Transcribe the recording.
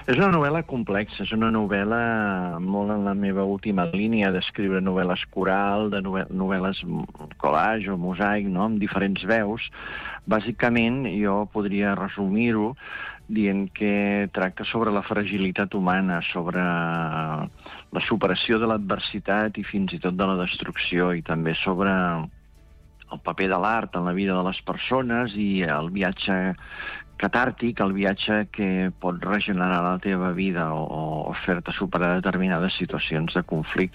És una novel·la complexa, és una novel·la molt en la meva última línia d'escriure novel·les coral, de novel·les collage o mosaic, no?, amb diferents veus. Bàsicament, jo podria resumir-ho dient que tracta sobre la fragilitat humana, sobre la superació de l'adversitat i fins i tot de la destrucció, i també sobre el paper de l'art en la vida de les persones i el viatge catàrtic, el viatge que pot regenerar la teva vida o fer-te superar determinades situacions de conflicte.